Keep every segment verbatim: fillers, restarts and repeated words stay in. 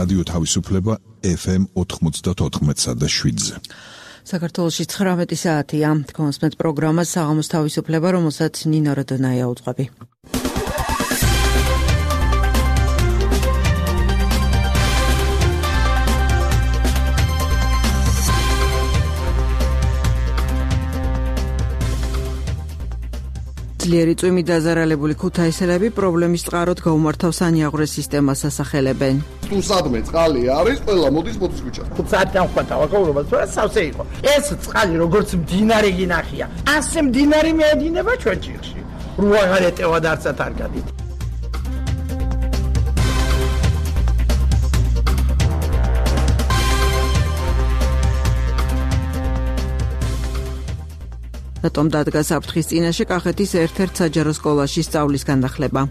რადიო თავისუფლება ეფ ემ ოთხმოცდაოთხ და შვიდზე. საქართველოში ცხრამეტი საათია. კონსმეთ პროგრამა საღამოს თავისუფლება, რომელსაც ნინო როდონაია უძღვები. ძლიერი წვიმით დაზარალებული ქუთაისელები პრობლემის წყაროდ გაუმართავს ანიაღვრეს სისტემას ასახელებენ. თუ სადმე წყალი არის, ყველა მოდის მოდის ქუჩა. ხუთსაათიდან ხვდა ვაკაურობა, თორე სავსე იყო. ეს წყალი როგორც მდინარე გინახია, ასე მდინარე მეედინება ჩვენ ჭირში. რუა გარეტევა და არცად არ გადით. რატომ დადგა საფრთხის წინაშე კახეთის ერთ-ერთ საჯარო სკოლაში სწავლის განახლება?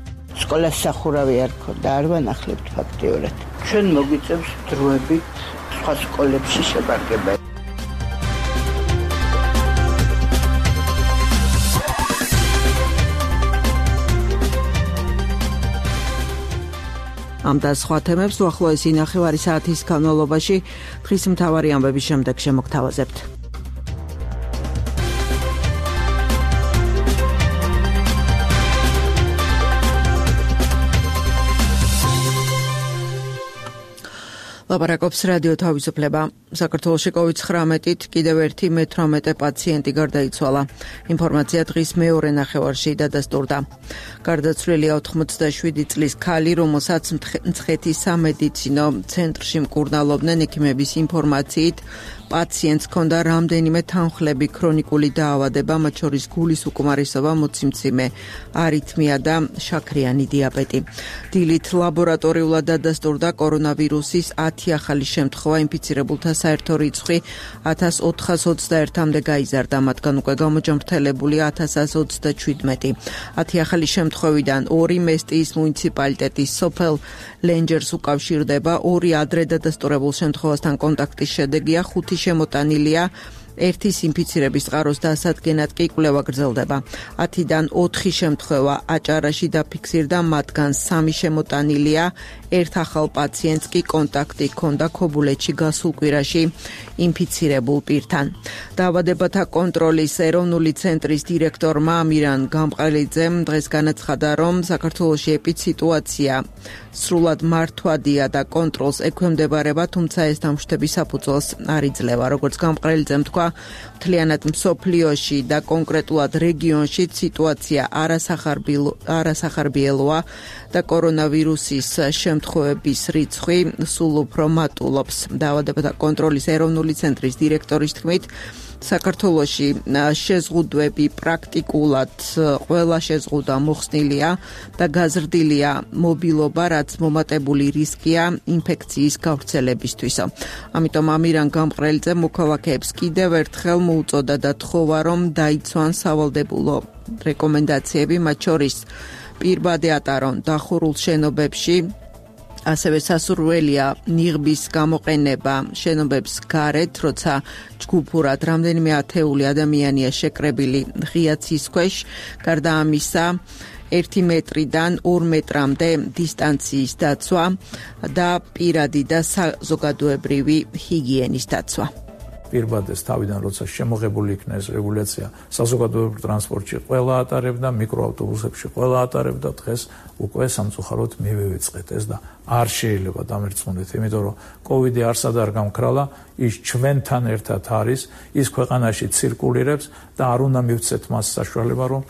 სკოლას სახურავი არ ქონდა, არ ვანახლებთ ფაქტიურად. ჩვენ მოგვიწევს დროებით სხვა სკოლებში შევარგება. ამ და სხვა თემებს უახლოესი ნახევარი საათის განმავლობაში დღის მთავარი ამბების შემდეგ შემოგთავაზებთ. ლაპარაკობს რადიო თავისუფლება. საქართველოში კოვიდ ცხრამეტით კიდევ ერთი მეთვრამეტე პაციენტი გარდაიცვალა. ინფორმაცია დღის მეორე ნახევარში დადასტურდა. გარდაცვლილია ოთხმოცდაშვიდი წლის ქალი, რომელსაც მცხეთის სამედიცინო ცენტრში მკურნალობდნენ. ექიმების ინფორმაციით პაციენტს ჰქონდა რამდენიმე თანხლები, ქრონიკული დაავადება, მათ შორის გულის უკმარისობა, მოციმციმე, არითმია და შაქრიანი დიაბეტი. დილით ლაბორატორიულად დადასტურდა კორონავირუსის ათი ახალი შემთხვევა, ინფიცირებულთა საერთო რიცხვი ათას ოთხას ოცდაერთამდე გაიზარდა, მათგან უკვე გამოჯამრთელებულია ათას ათას ოცდაჩვიდმეტი. ათი ახალი შემთხვევიდან ორი მესტიის მუნიციპალიტეტის სოფელ ლენჯერს უკავშირდება, ორი ადრე დადასტურებულ შემთხვევასთან კონტაქტის შედეგია, ხუთი შემოტანილია, ერთის ინფიცირების წყაროს დასადგენად კი კვლევა გრძელდება. ათიდან ოთხი შემთხვევა აჭარაში დაფიქსირდა, მათგან სამი შემოტანილია, ერთ ახალ პაციენტს კი კონტაქტი ჰქონდა ქობულეთში გასულ კვირაში ინფიცირებულ პირთან. დაავადებათა კონტროლის ეროვნული ცენტრის დირექტორმა ამირან გამყრელიძემ დღეს განაცხადა, რომ საქართველოში ეპიდსიტუაცია სრულად მართვადია და კონტროლს ექვემდებარება, თუმცა ეს დამშვიდების საფუძველს არ იძლევა. როგორც გამყრელიძემ თქვა, მთლიანად მსოფლიოში და კონკრეტულად რეგიონში სიტუაცია არასახარბიელოა და კორონავირუსის შემთხვევების რიცხვი სულ უფრო მატულობს. დაავადებათა კონტროლის ეროვნული ცენტრის დირექტორის თქმით, საქართველოში შეზღუდვები პრაქტიკულად ყველა შეზღუდვა მოხსნილია და გაზრდილია მობილობა, რაც მომატებული რისკია ინფექციის გავრცელებისთვის. ამიტომ ამირან გამყრელიძემ მოქალაქეებს კიდევ ერთხელ მოუწოდა და თხოვა, რომ დაიცვან სავალდებულო რეკომენდაციები, მათ შორის პირბადე ატარონ დახურულ შენობებში, ასევე სასურველია ნიღბის გამოყენება შენობებს გარეთ, როცა ჯგუფურად რამდენიმე ათეული ადამიანია შეკრებილი ღია ცის ქვეშ. გარდა ამისა, ერთი მეტრიდან ორ მეტრამდე დისტანციის დაცვა და პირადი და საზოგადოებრივი ჰიგიენის დაცვა. პირბადეს თავიდან როცა შემოღებული იქნა ეს რეგულაცია, საზოგადოებრივ ტრანსპორტში ყველა ატარებდა, მიკროავტობუსებში ყველა ატარებდა, დღეს უკვე სამწუხაროდ მივივიწყეთ ეს და არ შეიძლება დამერწმუნდეთ, იმიტომ რომ კოვიდი არსად არ გამქრალა, ის ჩვენთან ერთად არის, ის ქვეყანაში ცირკულირებს და არ უნდა მივცეთ მას საშუალება, რომ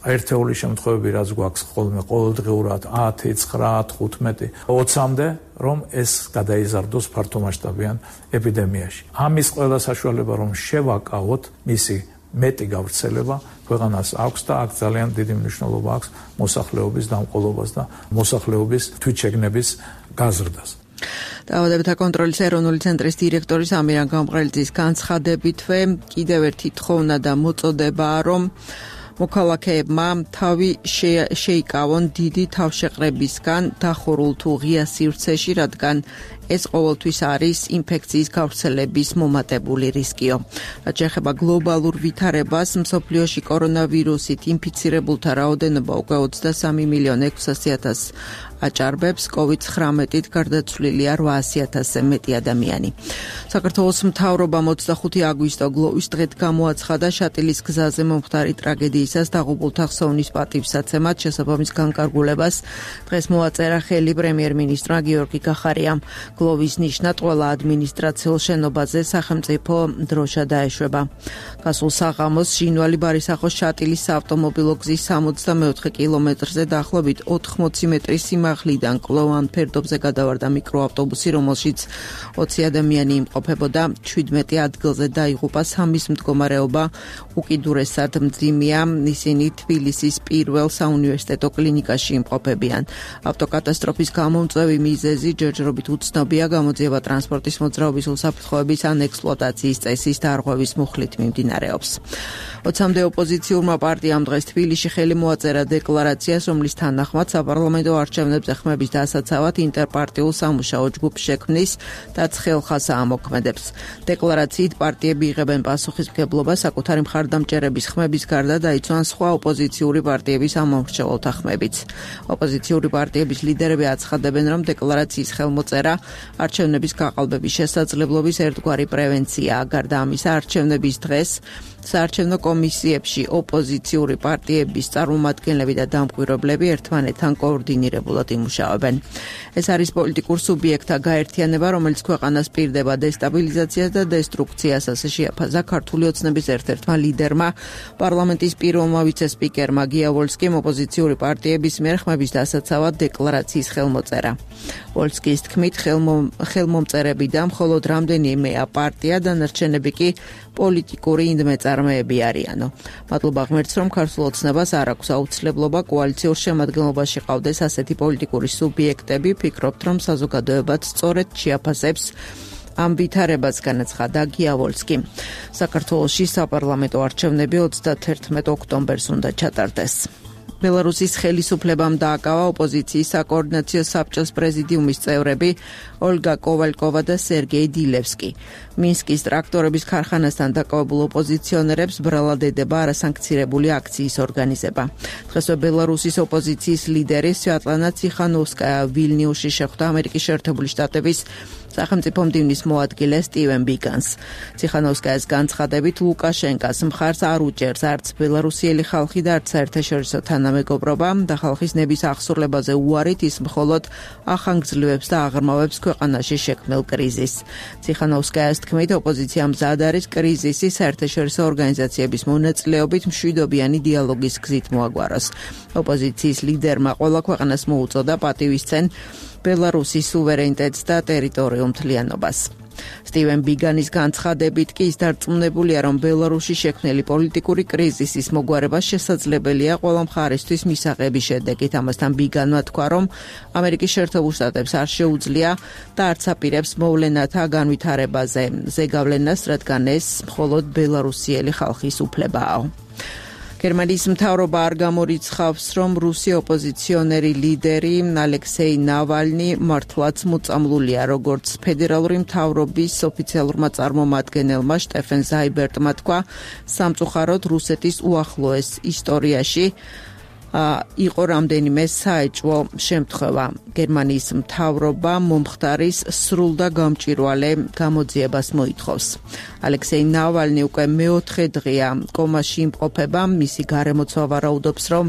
ერთეული შემთხვევები რაც გვაქვს ხოლმე ყოველდღიურად ათი, ცხრა, თხუთმეტი, ოცამდე, რომ ეს გადაიზარდოს ფართომასშტაბიან ეპიდემიაში. ამის ყველა საშუალება რომ შევაკავოთ მისი მეტი გავრცელება ქვეყანას აქვს და აქ ძალიან დიდი მნიშვნელობა აქვს მოსახლეობის დამყოლობას და მოსახლეობის თვითშეგნების გაზრდას. დაავადებათა კონტროლის ეროვნული ცენტრის დირექტორის ამირან გამყრელიძის განცხადებითვე კიდევ ერთი თხოვნა და მოწოდებაა, რომ მოქალაქეებმა თავი შეიკავონ დიდი თავშეყრებისგან დახურულ თუ ღია სივრცეში, რადგან ეს ყოველთვის არის ინფექციის გავრცელების მომატებული რისკიო. რაც შეეხება გლობალურ ვითარებას, მსოფლიოში კორონავირუსით ინფიცირებულთა რაოდენობა უკვე ოცდასამი მილიონი ექვსასი ათასს აჭარბებს, კოვიდ ცხრამეტით გარდაცვლილია რვაასი ათასზე მეტი ადამიანი. საქართველოს მთავრობამ ოცდახუთი აგვისტო გლოვის დღედ გამოაცხადა შატილის გზაზე მომხდარი ტრაგედიისას დაღუპულთა ხსოვნის პატივსაცემად შესაბამის განკარგულებას. დღეს მოაწერა ხელი პრემიერ-მინისტრმა გიორგი კახარიამ. გლოვის ნიშნად ყველა ადმინისტრაციულ შენობაზე სახელმწიფო დროშა დაეშვება. გასულ საღამოს ჟინვალი ბარისახოს შატილის საავტომობილო გზის სამოცდამეოთხე კილომეტრზე დაახლოებით ოთხმოცი მეტრის სიმაღლიდან კლოვან ფერდობზე გადავარდა მიკროავტობუსი, რომელშიც ოცი ადამიანი იმყოფებოდა. ჩვიდმეტი ადგილზე დაიღუპა, სამის მდგომარეობა უკიდურესად მძიმეა. ისინი თბილისის პირველ საუნივერსიტეტო კლინიკაში იმყოფებიან. ავტოკატასტროფის გამომწვევი მიზეზი ჯერჯერობით უცნობია, გამოძიება ტრანსპორტის მოძრაობის უსაფრთხოების ან ექსპლუატაციის წესის დარღვევის მუხლით მიმდინარეობს. ოცამდე ოპოზიციურმა პარტიამ დღეს თბილისში ხელი მოაწერა დეკლარაციას, რომლის თანახმად საპარლამენტო არჩევნებზე ხმების დასაცავად ინტერპარტიულ სამუშაო ჯგუფს შექმნის და ცხელხას აამოქმედებს. დეკლარაციით პარტიები იღებენ პასუხისმგებლობას საკუთარი მხარდამჭერების ხმების გარდა დაიცვან სხვა ოპოზიციური პარტიების ამომრჩეველთა ხმებიც. ოპოზიციური პარტიების ლიდერები აცხადებენ, რომ დეკლარაციის ხელმოწერა არჩევნების გაყალბების შესაძლებლობის ერთგვარი პრევენციაა. გარდა ამისა, არჩევნების დღეს საარჩევნო კომისიებში ოპოზიციური პარტიების წარმომადგენლები და დამკვირვებლები ერთმანეთთან კოორდინირებულად იმუშავებენ. ეს არის პოლიტიკურ სუბიექტთა გაერთიანება, რომელიც ქვეყანას პირდება დესტაბილიზაციას და დესტრუქციას, ასე შეაფასა ქართული ოცნების ერთ-ერთმა ლიდერმა, პარლამენტის პირველმა ვიცე-სპიკერმა გია ვოლსკიმ ოპოზიციური პარტიების მიერ ხმების დასაცავად დეკლარაციის ხელმოწერა. ვოლსკის თქმით, ხელმომწერები და მხოლოდ რამდენიმე პარტია, დანარჩენები კი პოლიტიკური ინდმეწარმეები არიანო. მადლობა ღმერთს, რომ ქართულ ოცნებას არ აქვს აუცილებლობა კოალიციურ შემადგენლობაში ყავდეს ასეთი პოლიტიკური სუბიექტები. ფიქრობთ, რომ საზოგადოებაც სწორედ შეაფასებს ამ ვითარებას, განაცხადა გია ვოლსკი. საქართველოში საპარლამენტო არჩევნები ოცდათერთმეტ ოქტომბერს უნდა ჩატარდეს. ბელარუსის ხელისუფლებამ დააკავა ოპოზიციის საკოორდინაციო საბჭოს პრეზიდიუმის წევრები ოლგა კოვალკოვა და სერგეი დილევსკი. მინსკის ტრაქტორების ქარხანასთან დაკავებულ ოპოზიციონერებს ბრალად ედება არასანქცირებული აქციის ორგანიზება. დღესვე ბელარუსის ოპოზიციის ლიდერი სვიატლანა ციხანოვსკაია ვილნიუსში შეხვდა ამერიკის შეერთებული შტატების სახელმწიფო მდივნის მოადგილე სტივენ ბიგანს. ციხანოვსკაიას განცხადებით, ლუკაშენკას მხარს არ უჭერს არც ბელარუსიელი ხალხი და არც საერთაშორისო თანამეგობრობა და ხალხის ნების აღსრულებაზე უარით ის მხოლოდ ახანგრძლივებს და აღრმავებს ქვეყანაში შექმნილ კრიზისს. ციხანოვსკაიას თქმით, ოპოზიცია მზად არის კრიზისის საერთაშორისო ორგანიზაციების მონაწილეობით მშვიდობიანი დიალოგის გზით მოაგვაროს. ოპოზიციის ლიდერმა ყველა ქვეყანას მოუწოდა პატივისცენ ბელარუსის სუვერენიტეტს და ტერიტორიულ მთლიანობას. სტივენ ბიგანის განცხადებით კი ის დარწმუნებულია, რომ ბელარუსში შექმნილი პოლიტიკური კრიზისის მოგვარება შესაძლებელია ყველა მხარისთვის მისაღების შედეგით. ამასთან ბიგანმა თქვა, რომ ამერიკის შეერთებულ შტატებს არ შეუძლია და არც აპირებს მოვლენათა განვითარებაზე ზეგავლენას, რადგან ეს მხოლოდ ბელარუსიელი ხალხის უფლებაა. გერმანიის მთავრობა არ გამორიცხავს, რომ რუსი ოპოზიციონერი ლიდერი ალექსეი ნავალნი მართლაც მოწამლულია, როგორც ფედერალური მთავრობის ოფიციალურმა წარმომადგენელმა შტეფენ ზაიბერტმა თქვა, სამწუხაროდ რუსეთის უახლოეს ისტორიაში იყო რამდენიმე საეჭვო შემთხვევა. გერმანიის მთავრობა მომხდარის სრულ და გამჭვირვალე გამოძიებას მოითხოვს. ალექსეი ნავალნი უკვე მეოთხე დღეა კომაში იმყოფება, მისი გარემოცვა ვარაუდობს, რომ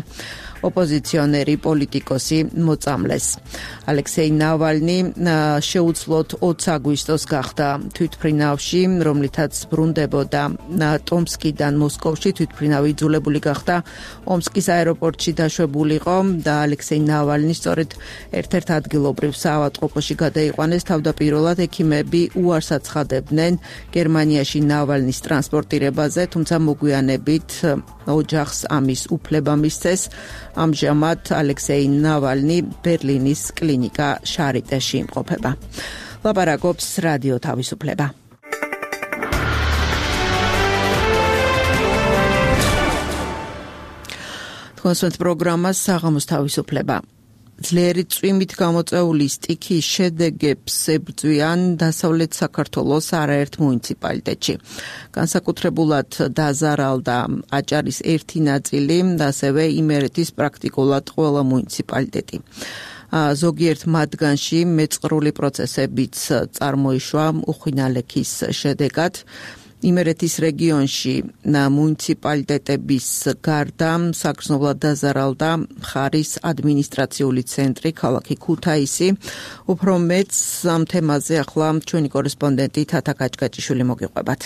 ოპოზიციონერი პოლიტიკოსი მოწამლეს. ალექსეი ნავალნი შეუძლოდ ოცი აგვისტოს გახდა თვითმფრინავში, რომლითაც ბრუნდებოდა ტომსკიდან მოსკოვში. თვითმფრინავი იძულებული გახდა ომსკის აეროპორტში დაშვებულიყო და ალექსეი ნავალნი სწორედ ერთ-ერთ ადგილობრივ საავადმყოფოში გადაიყვანეს. თავდაპირველად ექიმები უარს აცხადებდნენ გერმანიაში ნავალნის ტრანსპორტირებაზე, თუმცა მოგვიანებით ოჯახს ამის უფლება მისცეს. ამჟამად ალექსეი ნავალნი ბერლინის კლინიკა შარიტეში იმყოფება. ლაპარაკობს რადიო თავისუფლება. თქვენს პროგრამას საღამოს თავისუფლება. ძლიერი წვიმით გამოწვეული სტიქიის შედეგებს ებრძვიან დასავლეთ საქართველოს არაერთ მუნიციპალიტეტში. განსაკუთრებულად დაზარალდა აჭარის ერთი ნაწილი და ასევე იმერეთის პრაქტიკულად ყველა მუნიციპალიტეტი. ზოგიერთ მათგანში მეწყრული პროცესებიც წარმოიშვა უხვინალექის შედეგად. იმერეთის რეგიონში მუნიციპალიტეტების გარდა საგრძნობლად დაზარალდა მხარის ადმინისტრაციული ცენტრი ქალაქი ქუთაისი. უფრო მეტს ამ თემაზე ახლა ჩვენი კორესპონდენტი თათა კაჭკაჭიშვილი მოგიყვებათ.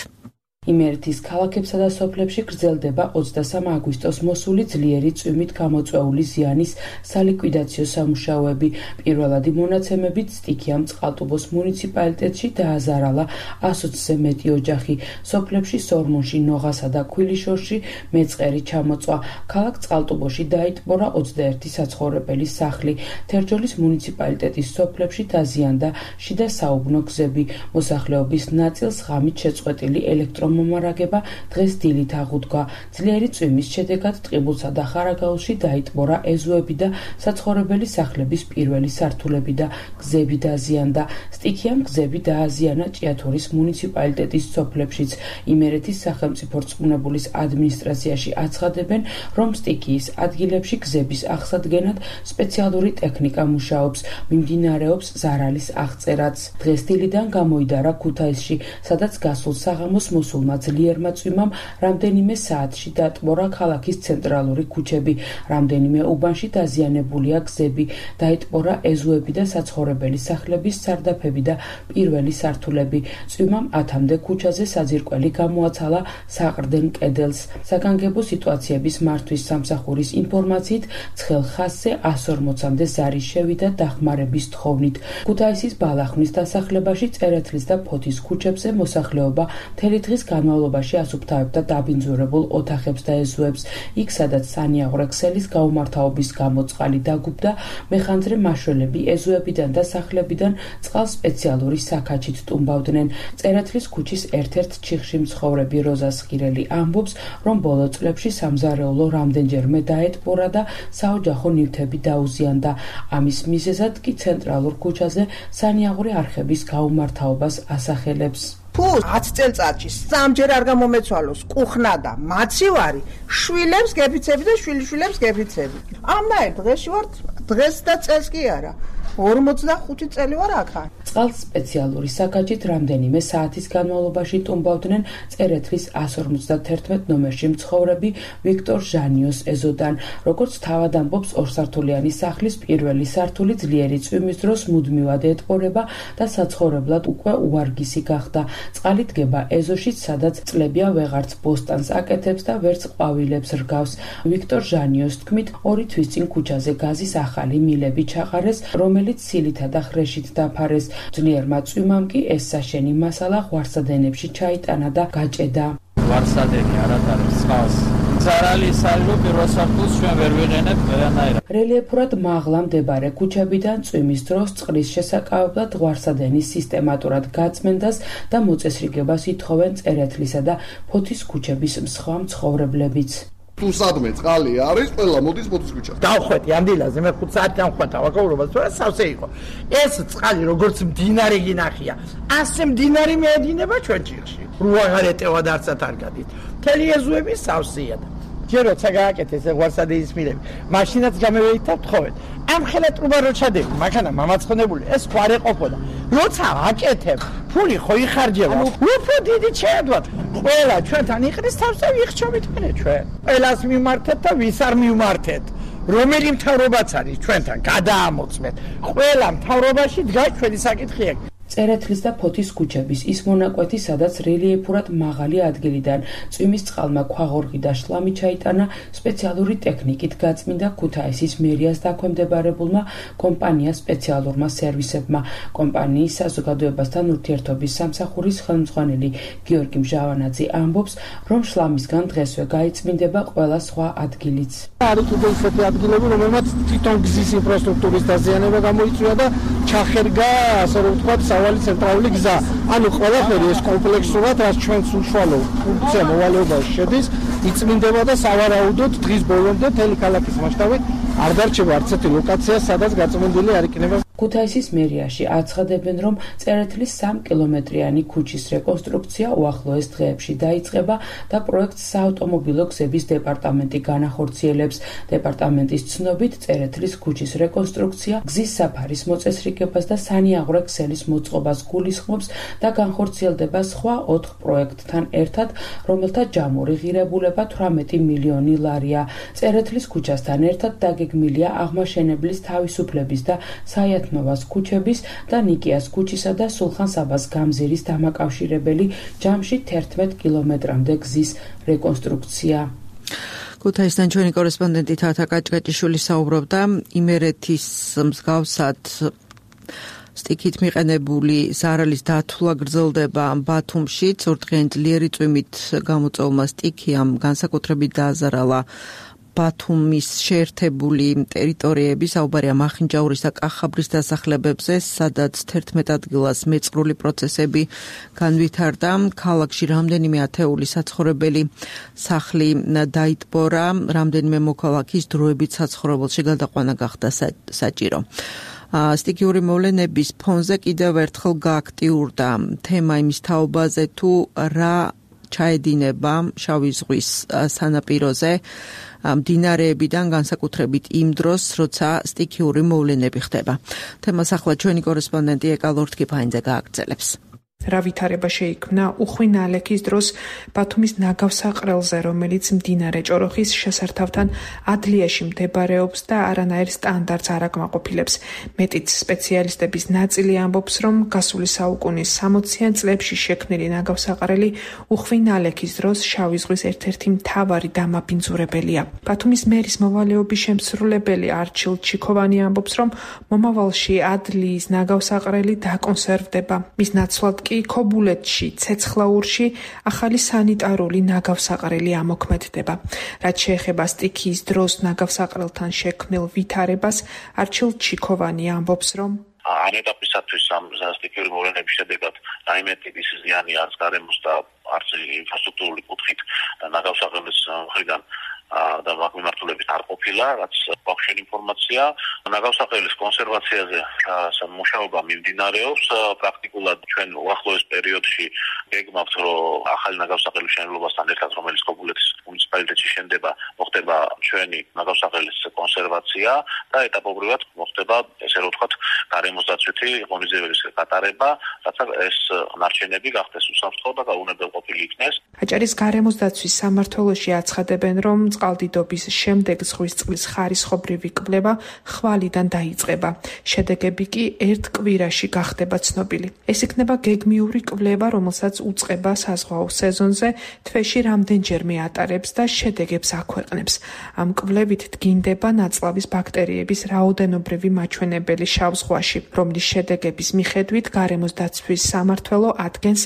იმერეთის ქალაქებსა და სოფლებში გრძელდება ოცდასამ აგვისტოს მოსული ძლიერი წვიმით გამოწვეული ზიანის სალიკვიდაციო სამუშაოები. პირველადი მონაცემებით სტიქიამ წყალტუბოს მუნიციპალიტეტში დააზარალა ასოცზე მეტი ოჯახი. სოფლებში სორმონში, ნოღასა და ქვილიშორში მეწყერი ჩამოწვა. ქალაქ წყალტუბოში დაიტბორა ოცდაერთი საცხოვრებელი სახლი. თერჯოლის მუნიციპალიტეტის სოფლებში დაზიანდა შიდა საუბნო გზები. მოსახლეობის ნაწილს ღამით შეწყვეტილი ელექტრო მომარაგება დღეს დილით აღუდგა. ძლიერი წვიმის შედეგად ტყიბულსა და ხარაგაულში დაიტბორა ეზოები და საცხოვრებელი სახლების პირველი სართულები და გზები დაზიანდა. სტიქიამ გზები დააზიანა ჭიათურის მუნიციპალიტეტის სოფლებშიც. იმერეთის სახელმწიფო რწმუნებულის ადმინისტრაციაში აცხადებენ, რომ სტიქიის ადგილებში გზების აღსადგენად სპეციალური ტექნიკა მუშაობს, მიმდინარეობს ზარალის აღწერაც. დღეს დილიდან გამოიდარა ქუთაისში, სადაც გასულ საღამოს მოსულ ძლიერმა წვიმამ რამდენიმე საათში დატბორა ქალაქის ცენტრალური ქუჩები. რამდენიმე უბანში დაზიანებულია გზები, დაიტბორა ეზოები და საცხოვრებელი სახლების სარდაფები და პირველი სართულები. წვიმამ ათამდე ქუჩაზე საძირკველი გამოაცალა საყრდენ კედელს. საგანგებო სიტუაციების მართვის სამსახურის ინფორმაციით ცხელ ხაზზე ას ორმოცამდე ზარი შევიდა დახმარების თხოვნით. ქუთაისის ბალახმის დასახლებაში წერეთლის და ფოთის ქუჩებზე მოსახლეობა მთელი დღის განმავლობაში ასუფთავებდა დაბინძურებულ ოთახებს და ეზოებს. იქ, სადაც სანიაღვრე ქსელის გაუმართავობის გამო წყალი დაგუბდა, მეხანძრე მაშველები ეზოებიდან და სახლებიდან წყალს სპეციალური საქაჩით ტუმბავდნენ. წერეთლის ქუჩის ერთ-ერთ ჩიხში მცხოვრები როზა სხირელი ამბობს, რომ ბოლო წლებში სამზარეულო რამდენჯერმე დაეტბორა და საოჯახო ნივთები დაუზიანდა. ამის მიზეზად კი ცენტრალურ ქუჩაზე სანიაღვრე არხების გაუმართავობას ასახელებს. თუ ათი წელწადში სამჯერ არ გამომეცვალოს კუხნა და მაცივარი, შვილებს გეფიცები და შვილიშვილებს გეფიცები. ამნაირ დღეში ვარ, დღეს და წელს კი არა. ორმოცდახუთი წელი ვარ აქა. წყალს სპეციალური საქაჩით რამდენიმე საათის განმავლობაში ტუმბავდნენ წერეთლის ას ორმოცდათერთმეტ ნომერში მცხოვრები ვიქტორ ჟანიოს ეზოდან. როგორც თავად ამბობს, ორსართულიანი სახლის პირველი სართული ძლიერი წვიმის დროს მუდმივად ეტყორება და საცხოვრებლად უკვე უარგისი გახდა. წყალი დგება ეზოში, სადაც წლებია ვეღარც ბოსტანს აკეთებს და ვერც ყვავილებს რგავს. ვიქტორ ჟანიოს თქმით, ორი თვის წინ ქუჩაზე გაზის ახალი მილები ჩაყარეს, რომელიც სილითა და ხრეშით დაფარეს. ძლიერმა წვიმამ კი ეს საშენი მასალა ღვარსადენებში ჩაიტანა და გაჭედა. ღვარსადენი არატარებს წყალს. ზარალი საერთოდ პირველ სართულს ჩვენ ვერ ვიყენებთ ვერანაირად. რელიეფურად მაღლა მდებარე ქუჩებიდან წვიმის დროს წყლის შესაკავებლად ღვარსადენის სისტემატურად გაწმენდას და მოწესრიგებას ითხოვენ წერეთლისა და ფოთის ქუჩების სხვა მცხოვრებლებიც. თუ სადმე წყალი არის, ყველა მოდის ფოთის ქუჩა. დავხვედი ამ დილაზე, მე ხუთ საათი ამხვეთა ვაკაურობას, თორე სავსე იყო. ეს წყალი როგორც მდინარე გინახია, ასე მდინარე მეედინება ჩვენ ჭირში. რუა გარეტევა და არცად არ გადით. მთელი ეზოები სავსეა. ჯერ როცა გააკეთეს ღვარსადენის მილები, მაშინაც გამევეით და ვთხოვეთ. ამ ხელა ტრუბა რო ჩადები, მაქანა მამაცხნებული, ეს ხო არ ეყოფოდა. როცა აკეთებ, ფული ხო იხარჯება. უფრო დიდი შეედვათ. ყველა ჩვენთან იყრის თავს და ვიხჩობით მენე ჩვენ. ყველას მიმართეთ და ვის არ მიმართეთ. რომელი მთავრობაც არის ჩვენთან, გადაამოწმეთ. ყველა მთავრობაში დგას ჩვენი საკითხი. წერეთლის და ფოთის ქუჩების ის მონაკვეთი, სადაც რელიეფურად მაღალი ადგილიდან წვიმის წყალმა ქვაღორღი და შლამი ჩაიტანა, სპეციალური ტექნიკით გაწმინდა ქუთაისის მერიას დაქვემდებარებულმა კომპანია სპეციალურმა სერვისებმა. კომპანიის საზოგადოებასთან ურთიერთობის სამსახურის ხელმძღვანელი გიორგი მჟავანაძე ამბობს, რომ შლამისგან დღესვე გაიწმინდება ყველა სხვა ადგილიც. არის კიდევ ისეთი ადგილები, რომელმაც თვითონ გზის ინფრასტრუქტურის დაზიანება გამოიწვია და ჩახერგა, ასე რომ ვთქვათ, სავალი ცენტრალური გზა. ანუ ყველაფერი ეს კომპლექსურად, რაც ჩვენს უშუალო ფუნქცია მოვალეობაში შედის, იწმინდება და სავარაუდოდ დღის ბოლომდე მთელი ქალაქის მასშტაბით არ დარჩება არც ერთი ლოკაცია, სადაც გაწმენდილი არ იქნება. ქუთაისის მერიაში აცხადებენ, რომ წერეთლის სამ კილომეტრიანი ქუჩის რეკონსტრუქცია უახლოეს დღეებში დაიწყება და პროექტს საავტომობილო გზების დეპარტამენტი განახორციელებს. დეპარტამენტის ცნობით, წერეთლის ქუჩის რეკონსტრუქცია გზის საფარის მოწესრიგებას და სანიაღვრე ქსელის მოწყობას გულისხმობს და განხორციელდება სხვა ოთხ პროექტთან ერთად, რომელთა ჯამური ღირებულება თვრამეტი მილიონი ლარია. წერეთლის ქუჩასთან ერთად დაგეგმილია აღმაშენებლის თავისუფლების და საიათმევას ქუჩების და ნიკიას ქუჩისა და სულხან-საბას გამზირის დამაკავშირებელი ჯამში თერთმეტ კილომეტრამდე გზის რეკონსტრუქცია. ქუთაისთან ჩვენი კორესპონდენტი თათა კაჭკაჭიშვილი საუბრობდა იმერეთის მსგავსად სტიქით მიყენებული ზარალის დათვლა გრძელდება ბათუმში. წურდღიანი ძლიერი წვიმით გამოწვეულმა სტიქიამ განსაკუთრებით დააზარალა ბათუმის შეერთებული ტერიტორიები, საუბარია მახინჯაურის და კახაბრის დასახლებებზე, სადაც თერთმეტ ადგილას მეწყრული პროცესები განვითარდა. ქალაქში რამდენიმე ათეული საცხოვრებელი სახლი დაიტბორა, რამდენიმე მოქალაქის დროებით საცხოვრებელში გადაყვანა გახდა საჭირო. სტიქიური მოვლენების ფონზე კიდევ ერთხელ გააქტიურდა თემა იმის თაობაზე, თუ რა ჩაედინება შავი ზღვის სანაპიროზე მდინარეებიდან, განსაკუთრებით იმ დროს, როცა სტიქიური მოვლენები ხდება. თემას ახლა ჩვენი კორესპონდენტი ეკა ლორთქიფაინძე გააგრძელებს. რა ვითარება შეიქმნა უხვინ ალექის დროს ბათუმის ნაგავსაყრელზე, რომელიც მდინარე ჭოროხის შესართავთან ადლიაში მდებარეობს და არანაირ სტანდარტს არ აკმაყოფილებს. მეტიც სპეციალისტების ნაწილი ამბობს, რომ გასული საუკუნის სამოციან წლებში შექმნილი ნაგავსაყრელი უხვინ ალექის დროს შავი ზღვის ერთ-ერთი მთავარი დამაბინძურებელია. ბათუმის მერის მოვალეობის შემსრულებელი არჩილ ჩიქოვანი ამბობს, რომ მომავალში ადლიის ნაგავსაყრელი დაკონსერვდება. მის ნაცვლად ქობულეთში, ცეცხლაურში ახალი სანიტარული ნაგავსაყრელი ამოქმედდება. რაც შეეხება სტიქიის დროს ნაგავსაყრელთან შექმნილ ვითარებას, არჩილ ჩიქოვანი ამბობს, რომ ამ ეტაპისათვის ამ სტიქიური მოვლენების შედეგად რაიმე ტიპის ზიანი არც გარემოს და არც ინფრასტრუქტურული კუთხით ნაგავსაყრელის მხრიდან და მაგ მიმართულებით არ ყოფილა, რაც გვაქვს ინფორმაცია. ნაგავსაყრელის კონსერვაციაზე მუშაობა მიმდინარეობს. პრაქტიკულად ჩვენ უახლოეს პერიოდში გეგმავთ, რომ ახალი ნაგავსაყრელის მშენებლობასთან ერთად, რომელიც ქობულეთის მუნიციპალიტეტში შენდება, მოხდება ჩვენი ნაგავსაყრელის კონსერვაცია და ეტაპობრივად მოხდება, ესე რომ ვთქვათ, გარემოს დაცვითი ღონისძიებების გატარება, რათა ეს ნარჩენები გახდეს უსაფრთხო და გაუნებელყოფილი იქნეს. აჭარის გარემოს დაცვის სამმართველოში აცხადებენ, რომ წყალდიდობის შემდეგ ზღვის წყლის ხარისხობრივი კვლევა ხვალიდან დაიწყება. შედეგები კი ერთ კვირაში გახდება ცნობილი. ეს იქნება გეგმიური კვლევა, რომელსაც უწყება საზღვაო სეზონზე, თვეში რამდენჯერმე ატარებს და შედეგებს აქვეყნებს. ამ კვლევით დგინდება ნაწლავის ბაქტერიების რაოდენობრივი მაჩვენებელი შავ ზღვაში, რომლის შედეგების მიხედვით გარემოს დაცვის სამმართველო ადგენს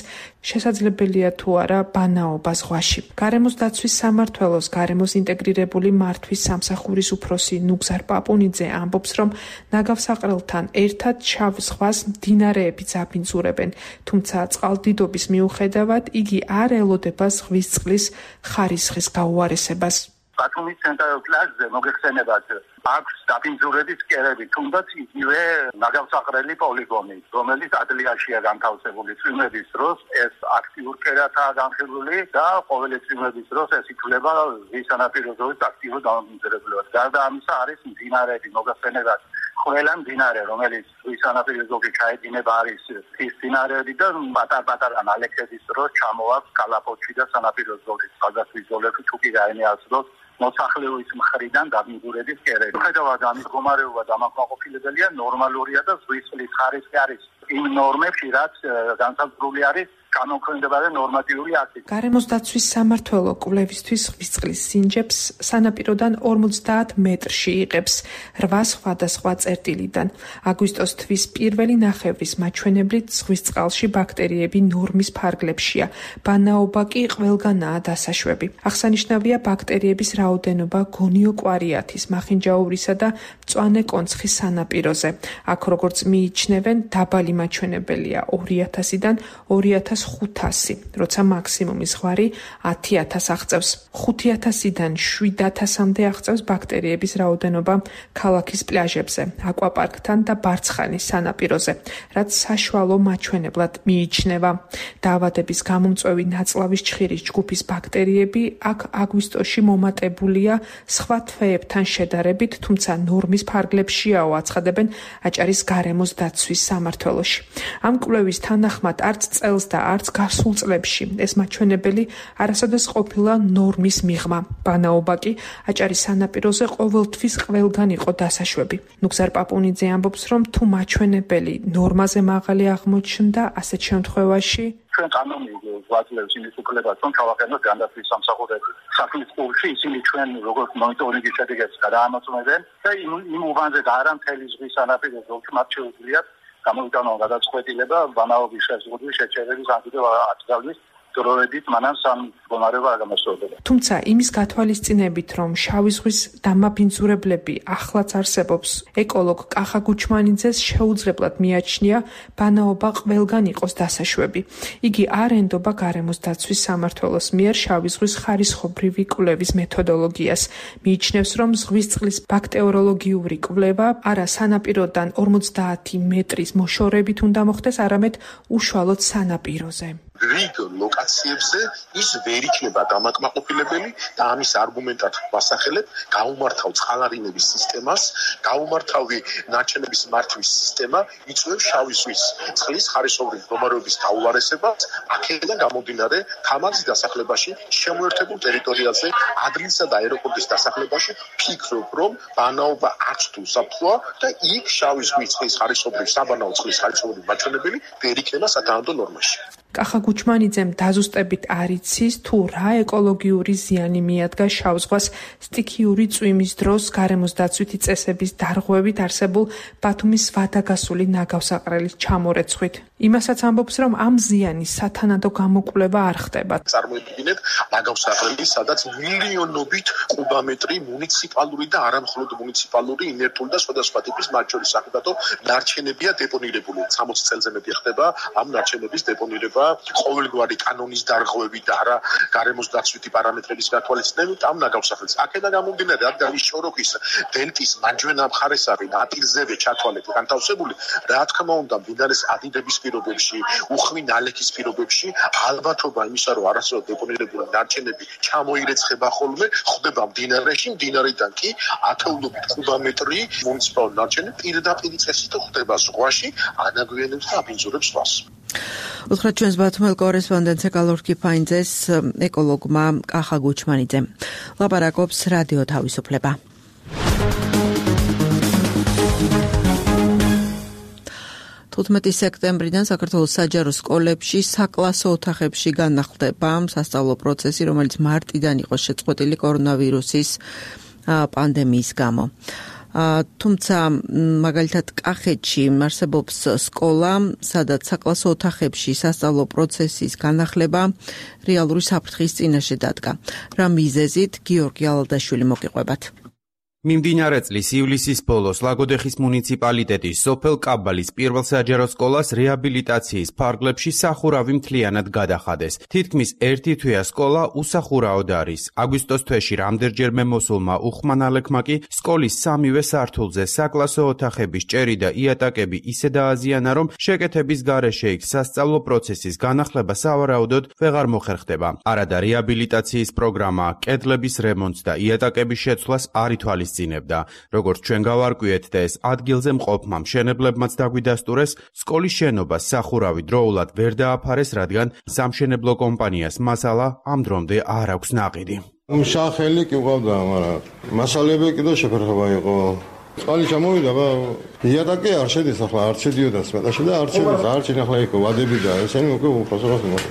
შესაძლებელია თუ არა ბანაობა ზღვაში. გარემოს დაცვის სამმართველოს გარემოს ინტეგრირებული მართვის სამსახურის უფროსი ნუგზარ პაპუნიძე ამბობს, რომ ნაგავსაყრელთან ერთად შავ ზღვას მდინარეებიც აბინძურებენ, თუმცა წყალდიდობის მიუხედავად იგი არ ელოდება ზღვის წყლის ხარისხის გაუარესებას. ბათუმის ცენტრალურ პლაჟზე მოგეხსენებათ აქვს დაბინძურების კერები, თუნდაც იგივე ნაგავსაყრელი პოლიგონი, რომელიც ადლიაშია განთავსებული წვიმების დროს, ეს აქტიურ კერათაა განხილული და ყოველი წვიმების დროს ეს ითვლება ზღვის სანაპირო ზოლის აქტიურ დამაბინძურებლად. გარდა ამისა არის მდინარეები, მოგეხსენებათ ყველა მდინარე, რომელიც ზღვის სანაპირო ზოლში ჩაედინება, არის ის მდინარეები და პატარ-პატარა ნალექების დროს ჩამოაქვს კალაპოტში და სანაპირო ზოლის სხვადასხვა ზოლებში თუ კი რაიმე ასდოს მოსახლეობის მხრიდან დაბინძურების კერები. ხედავთ ამის მდგომარეობა დამაკმაყოფილებელია, ნორმალურია და ზღვის წყლის ხარისხი არის იმ ნორმებში, რაც განსაზღვრული არის გამოქვეყნებადა ნორმატიული აქტი. გარემოს დაცვის სამმართველო კვლევისთვის ზღვის წყლის სინჯებს სანაპიროდან ორმოცდაათ მეტრში იღებს რვა სხვადასხვა წერტილიდან. აგვისტოს თვის პირველი ნახევრის მაჩვენებლით ზღვის წყალში ბაქტერიები ნორმის ფარგლებშია. ბანაობა კი ყველგანაა დასაშვები. აღსანიშნავია ბაქტერიების რაოდენობა გონიოკვარიათის, მახინჯაურისა და მწვანე კონცხის სანაპიროზე. აქ როგორც მიიჩნევენ, დაბალი მაჩვენებელია ორი ათასიდან ორი ათას ხუთ ათასი, როცა მაქსიმუმი ზღვარი ათი ათასს აღწევს. ხუთი ათასიდან შვიდ ათასამდე აღწევს ბაქტერიების რაოდენობა ქალაქის პლაჟებზე, აკვაპარკთან და ბარცხანის სანაპიროზე, რაც საშუალო მაჩვენებლად მიიჩნევა. დაავადების გამომწვევი ნაწლავის ჩხირის ჯგუფის ბაქტერიები აქ აგვისტოში მომატებულია სხვა თვეებთან შედარებით, თუმცა ნორმის ფარგლებშიაო აცხადებენ აჭარის გარემოს დაცვის სამმართველოში. ამ კვლევის თანახმად არც წელს და არც გასულ წლებში ეს მაჩვენებელი არასოდეს ყოფილა ნორმის მიღმა. ბანაობა კი აჭარის სანაპიროზე ყოველთვის ყველგან იყო დასაშვები. ნუგზარ პაპუნიძე ამბობს, რომ თუ მაჩვენებელი ნორმაზე მაღალი აღმოჩნდა, ასეთ შემთხვევაში ჩვენ კანონი გვაძლევს იმის უფლებას, რომ ჩავაყენოთ განდაცვის სამსახურები. სახლის სკოლში ისინი ჩვენ როგორც მონიტორინგის შედეგებს გადაამოწმებენ და იმ იმ უბანზე და არა მთელი ზღვის სანაპირო ზოლში მათ შეუძლიათ გამოვიტანონ გადაწყვეტილება ბანაობის შეზღუდვის შეჩერების ან კიდევ ათ წლის დროებით მანამ სამ მდგომარეობა არ გამოსწორდება. თუმცა იმის გათვალისწინებით, რომ შავი ზღვის დამაბინძურებლები ახლაც არსებობს, ეკოლოგ კახა გუჩმანიძეს შეუძლებლად მიაჩნია ბანაობა ყველგან იყოს დასაშვები. იგი არ ენდობა გარემოს დაცვის სამმართველოს მიერ შავი ზღვის ხარისხობრივი კვლევის მეთოდოლოგიას. მიიჩნევს, რომ ზღვის წყლის ბაქტერიოლოგიური კვლევა არა სანაპიროდან ორმოცდაათი მეტრის მოშორებით უნდა მოხდეს, არამედ უშუალოდ სანაპიროზე. რიგ ლოკაციებზე ის ვერ იქნება დამაკმაყოფილებელი და ამის არგუმენტად ვასახელებ გაუმართავ წყალარინების სისტემას, გაუმართავი ნარჩენების მართვის სისტემა იწვევს შავი ზღვის წყლის ხარისხობრივი მდგომარეობის გაუარესებას, აქედან გამომდინარე თამარის დასახლებაში, შემოერთებულ ტერიტორიაზე, ადრინსა და აეროპორტის დასახლებაში ფიქრობ, რომ ბანაობა არც თუ საფრთხეა და იქ შავი ზღვის წყლის ხარისხობრივი საბანაო წყლის ხარისხობრივი მაჩვენებელი ვერ იქნება სათანადო ნორმაში. კახა გუჩმანიძემ დაზუსტებით არ იცის, თუ რა ეკოლოგიური ზიანი მიადგა შავ ზღვას სტიქიური წვიმის დროს გარემოს დაცვითი წესების დარღვევით არსებულ ბათუმის ვადაგასული ნაგავსაყრელის ჩამორეცხვით. იმასაც ამბობს, რომ ამ ზიანის სათანადო გამოკვლევა არ ხდება. წარმოიდგინეთ ნაგავსაყრელი, სადაც მილიონობით კუბომეტრი მუნიციპალური და არამხოლოდ მუნიციპალური ინერტული და სხვადასხვა ტიპის მათ შორის საკუთო ნარჩენებია დეპონირებული. სამოცი წელზე მეტი ხდება ამ ნარჩენების დეპონირება ყოველგვარი კანონის დარღვევით და არა გარემოს დაცვითი პარამეტრების გათვალისწინებით ამ ნაგავსახელს. აქედან გამომდინარე, რადგან ის შოროქის დელტის მარჯვენა მხარეს არის ნაპირზევე ჩათვალეთ განთავსებული, რა თქმა უნდა, მდინარის ადიდების პირობებში, უხვი ნალექის პირობებში ალბათობა იმისა, რომ არასოდეს დეპონირებული ნარჩენები ჩამოირეცხება ხოლმე, ხდება მდინარეში, მდინარიდან კი ათეულობით კუბომეტრი მუნიციპალური ნარჩენები პირდაპირ წესით ხდება ზღვაში, ანაგვიანებს და აბინძურებს ზღვას. უთხრათ ჩვენს ბათუმელ კორესპონდენტს ეკოლოგ კიფაინძეს ეკოლოგმა კახა გუჩმანიძემ. ლაპარაკობს რადიო თავისუფლება. თუთხმეტი სექტემბრიდან საქართველოს საჯარო სკოლებში საკლასო ოთახებში განახლდება სასწავლო პროცესი, რომელიც მარტიდან იყო შეწყვეტილი კორონავირუსის პანდემიის გამო. თუმცა მაგალითად კახეთში არსებობს სკოლა, სადაც საკლასო ოთახებში სასწავლო პროცესის განახლება რეალური საფრთხის წინაშე დადგა. რა მიზეზით გიორგი ალადაშვილი მოგიყვებათ. მიმდინარე წლის ივლისის ბოლოს ლაგოდეხის მუნიციპალიტეტის სოფელ კაბალის პირველ საჯარო სკოლას რეაბილიტაციის ფარგლებში სახურავი მთლიანად გადახადეს. თითქმის ერთი თვეა სკოლა უსახურავად არის. აგვისტოს თვეში რამდენჯერმე მოსულმა უხმანალექმა კი სკოლის სამივე სართულზე საკლასო ოთახების ჭერი და იატაკები ისე დააზიანა, რომ შეკეთების გარეშე იქ სასწავლო პროცესის განახლება სავარაუდოდ ვეღარ მოხერხდება. არადა რეაბილიტაციის პროგრამა, კედლების რემონტს და იატაკების შეცვლას არ ითვალისწინებს. როგორც ჩვენ გავარკვიეთ და ეს ადგილზე მყოფმა მშენებლებმაც დაგვიდასტურეს, სკოლის შენობას სახურავი დროულად ვერ დააფარეს, რადგან სამშენებლო კომპანიას მასალა ამ დრომდე არ აქვს ნაყიდი. მსახელი კი ყავდა, მაგრამ მასალები კიდევ შეფერხება იყო. წყალი ჩამოვიდა, იატაკი არ შედის ახლა, არ შედიოდა სპეტაში და არ შედის, არ შენახლა იყო ვადები და ესენი უკვე უბრალოდ მოხდა.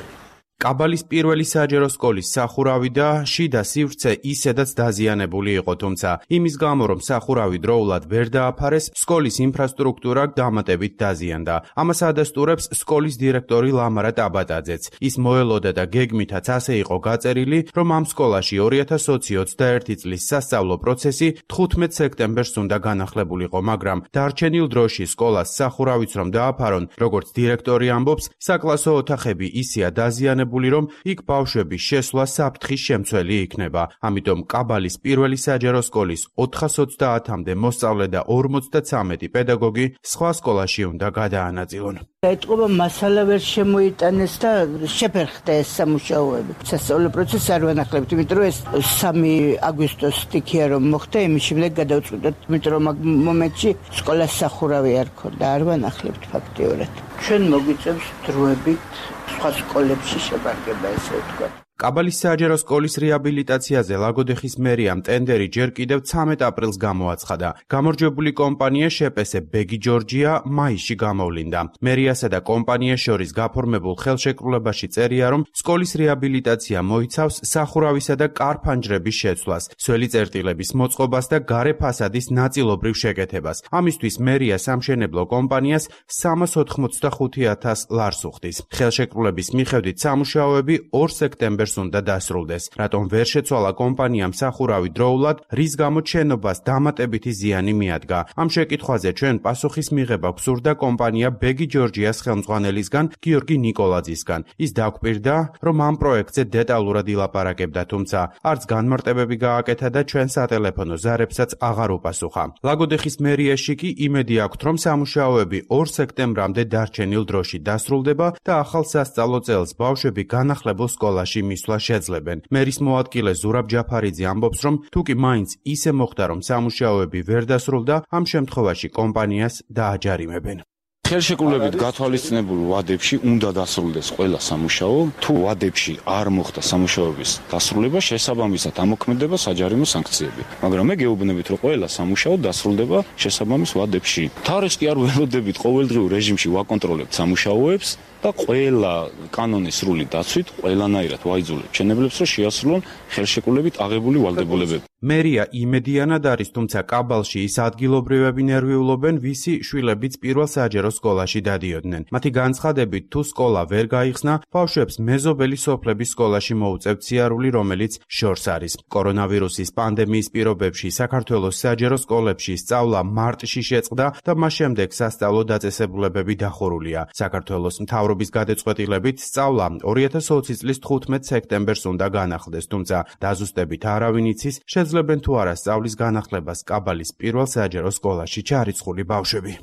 კაბალის პირველი საჯარო სკოლის სახურავი და შიდა სივრცე ისედაც დაზიანებული იყო, თუმცა იმის გამო, რომ სახურავი დროულად ვერ დააფარეს, სკოლის ინფრასტრუქტურა დამატებით დაზიანდა. ამას ადასტურებს სკოლის დირექტორი ლამარა ტაბატაძეც. ის მოელოდა და გეგმითაც ასე იყო გაწერილი, რომ ამ სკოლაში ორი ათას ოცდაერთი წლის სასწავლო პროცესი თხუთმეტ სექტემბერს უნდა განახლებულიყო, მაგრამ დარჩენილ დროში სკოლას სახურავიც რომ დააფარონ, როგორც დირექტორი ამბობს, საკლასო ოთახები ისეა დაზიანებული, რომ იქ ბავშვების შესვლა საფრთხის შემცველი იქნება. ამიტომ კაბალის პირველი საჯარო სკოლის ოთხას ოცდაათამდე მოსწავლე და ორმოცდაცამეტი პედაგოგი სხვა სკოლაში უნდა გადაანაწილონ. ეტყობა მასალა ვერ შემოიტანეს და შეფერხდა ეს სამუშაოები. სასწავლო პროცესი არ ვანახლებთ, იმიტომ რომ ეს სამი აგვისტოს სტიქია რომ მოხდა, იმის შემდეგ გადავწყვიტეთ, იმიტომ რომ ამ მომენტში სკოლას სახურავი არ ქონდა, არ ვანახლებთ ფაქტიურად. ჩვენ მოგვიწევს დროებით სხვა სკოლებში შევარგება, ესე ვთქვათ. კაბალის საჯარო სკოლის რეაბილიტაციაზე ლაგოდეხის მერიამ ტენდერი ჯერ კიდევ ცამეტ აპრილს გამოაცხადა. გამარჯვებული კომპანია შეპესე ბეგი ჯორჯია მაისში გამოვლინდა. მერიასა და კომპანიას შორის გაფორმებულ ხელშეკრულებაში წერია, რომ სკოლის რეაბილიტაცია მოიცავს სახურავისა და კარ-ფანჯრების შეცვლას, სველი წერტილების მოწყობას და გარე ფასადის ნაწილობრივ შეკეთებას. ამისთვის მერია სამშენებლო კომპანიას სამას ოთხმოცდახუთი ათას ლარს უხდის. ხელშეკრულების მიხედვით სამუშაოები ორ სექტემბერს უნდა დასრულდეს. რატომ ვერ შეცვალა კომპანიამ სახურავი დროულად, რის გამოც შენობას დამატებითი ზიანი მიადგა. ამ შეკითხვაზე ჩვენ პასუხის მიღება გვსურდა კომპანია ბეგი ჯორჯიას ხელმძღვანელისგან გიორგი ნიკოლაძისგან. ის დაგვპირდა, რომ ამ პროექტზე დეტალურად ილაპარაკებდა, თუმცა არც განმარტებები გააკეთა და ჩვენ სატელეფონო ზარებსაც აღარ უპასუხა. ლაგოდეხის მერიაში კი იმედი აქვთ, რომ სამუშაოები ორ სექტემბრამდე დარჩენილ დროში დასრულდება და ახალ სასწავლო წელს ბავშვები განახლებულ სკოლაში მისვლა შეძლებენ. მერის მოადგილე ზურაბ ჯაფარიძე ამბობს, რომ თუ კი მაინც ისე მოხდა, რომ სამუშაოები ვერ დასრულდა, ამ შემთხვევაში კომპანიას დააჯარიმებენ. ხელშეკრულებით გათვალისწინებულ ვადებში უნდა დასრულდეს ყველა სამუშაო. თუ ვადებში არ მოხდა სამუშაოების დასრულება, შესაბამისად ამოქმედება საჯარიმო სანქციები. მაგრამ მე გეუბნებით, რომ ყველა სამუშაო დასრულდება შესაბამის ვადებში. თარიღს კი არ ველოდებით, ყოველდღიურ რეჟიმში ვაკონტროლებთ სამუშაოებს და ყველა კანონის სრული დაცვით ყველანაირად ვაიძულებთ მშენებლებს, რომ შეასრულონ ხელშეკრულებით აღებული ვალდებულებები. მერია იმედიანად არის, თუმცა კაბალში ის ადგილობრივები ნერვიულობენ, ვისი შვილებიც პირველ საჯარო სკოლაში დადიოდნენ. მათი განცხადებით, თუ სკოლა ვერ გაიხსნა, ბავშვებს მეზობელი სოფლების სკოლაში მოუწევთ სიარული, რომელიც შორს არის. კორონავირუსის პანდემიის პირობებში საქართველოს საჯარო სკოლებში სწავლა მარტში შეწყდა და მას შემდეგ სასწავლო დაწესებულებები დახურულია. საქართველოს მთავრობის გადაწყვეტილებით სწავლა ორი ათას ოცი წლის თხუთმეტ სექტემბერს უნდა განახლდეს, თუმცა დაზუსტებით არავინ იცის, შეძლებენ თუ არა სწავლის განახლებას კაბალის პირველ საჯარო სკოლაში ჩარიცხული ბავშვები.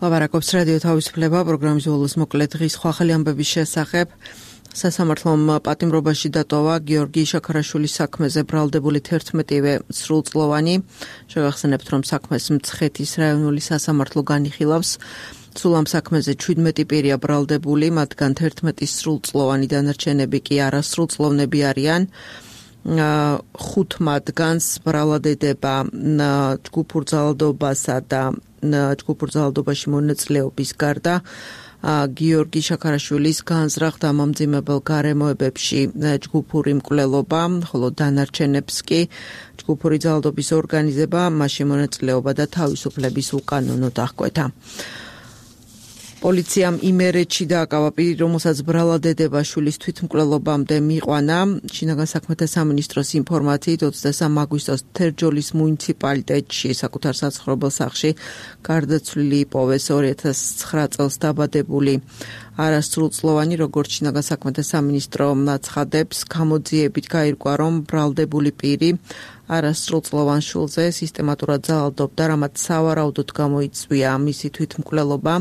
ლაპარაკობს რადიო თავისუფლება, პროგრამის ბოლოს მოკლე დღის ხვალ ამბების შესახებ. სასამართლომ პატიმრობაში დატოვა გიორგი შაქარაშვილის საქმეზე ბრალდებული თერთმეტივე სრულწლოვანი. შევახსენებთ, რომ საქმეს მცხეთის რაიონული სასამართლო განიხილავს. სულ ამ საქმეზე ჩვიდმეტი პირია ბრალდებული, მათგან თერთმეტი სრულწლოვანი, დანარჩენები კი არასრულწლოვნები არიან. ხუთ მათგანს ბრალად ედება ჯგუფურ ძალადობასა და ჯგუფურ ძალადობაში მონაწილეობის გარდა გიორგი შაქარაშვილის განზრახ დამამძიმებელ გარემოებებში ჯგუფური მკვლელობა, ხოლო დანარჩენებს კი ჯგუფური ძალადობის ორგანიზება, მასში მონაწილეობა და თავისუფლების უკანონო დახკვეთა. პოლიციამ იმერეთში დააკავა პირი, რომელსაც ბრალად ედება შვილის თვითმკვლელობამდე მიიყვანა. შინაგან საქმეთა სამინისტროს ინფორმაციით ოცდასამი აგვისტოს თერჯოლის მუნიციპალიტეტში საკუთარ საცხოვრებელ სახლში გარდაცვლილი იპოვეს ორი ათას ცხრა წელს დაბადებული არასრულწლოვანი, როგორც შინაგან საქმეთა სამინისტრო აცხადებს, გამოძიებით გაირკვა, რომ ბრალდებული პირი არასრულწლოვან შვილზე სისტემატურად ძალადობდა, რამაც სავარაუდოდ გამოიწვია მისი თვითმკვლელობა.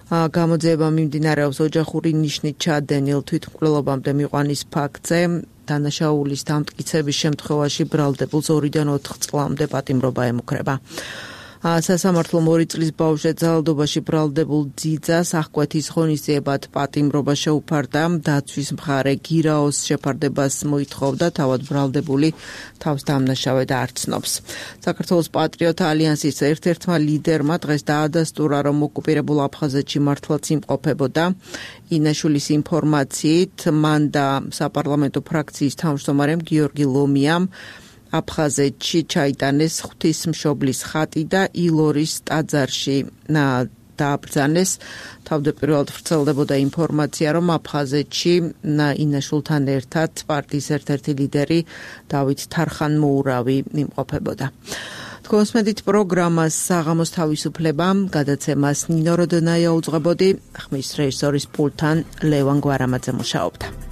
გამოძიება მიმდინარეობს ოჯახური ნიშნით ჩადენილ თვითმკვლელობამდე მიყვანის ფაქტზე. დანაშაულის დამტკიცების შემთხვევაში ბრალდებულს ორიდან ოთხ წლამდე პატიმრობა ემუქრება. სასამართლო ორი წლის ბავშვზე ძალადობაში ბრალდებულ ძიძას აღკვეთის ღონისძიებად პატიმრობა შეუფარდა. დაცვის მხარე გირაოს შეფარდებას მოითხოვდა, თავად ბრალდებული თავს დამნაშავედ არ ცნობს. საქართველოს პატრიოტ ალიანსის ერთ-ერთმა ლიდერმა დღეს დაადასტურა, რომ ოკუპირებულ აფხაზეთში მართლაც იმყოფებოდა. ინაშვილის ინფორმაციით, მან და საპარლამენტო ფრაქციის თავმჯდომარემ გიორგი ლომიამ აფხაზეთში ჩაიტანეს ღვთისმშობლის ხატი და ილორის ტაძარში დააბრძანეს. თავდაპირველად ვრცელდებოდა ინფორმაცია, რომ აფხაზეთში ინაშვილთან ერთად პარტიის ერთ-ერთი ლიდერი დავით თარხან-მოურავი იმყოფებოდა. თქვენსმენით პროგრამას საღამოს თავისუფლება, გადაცემას ნინო როდონაია უძღვებოდი, ხმის რეჟისორის პულტთან ლევან გვარამაძე მუშაობდა.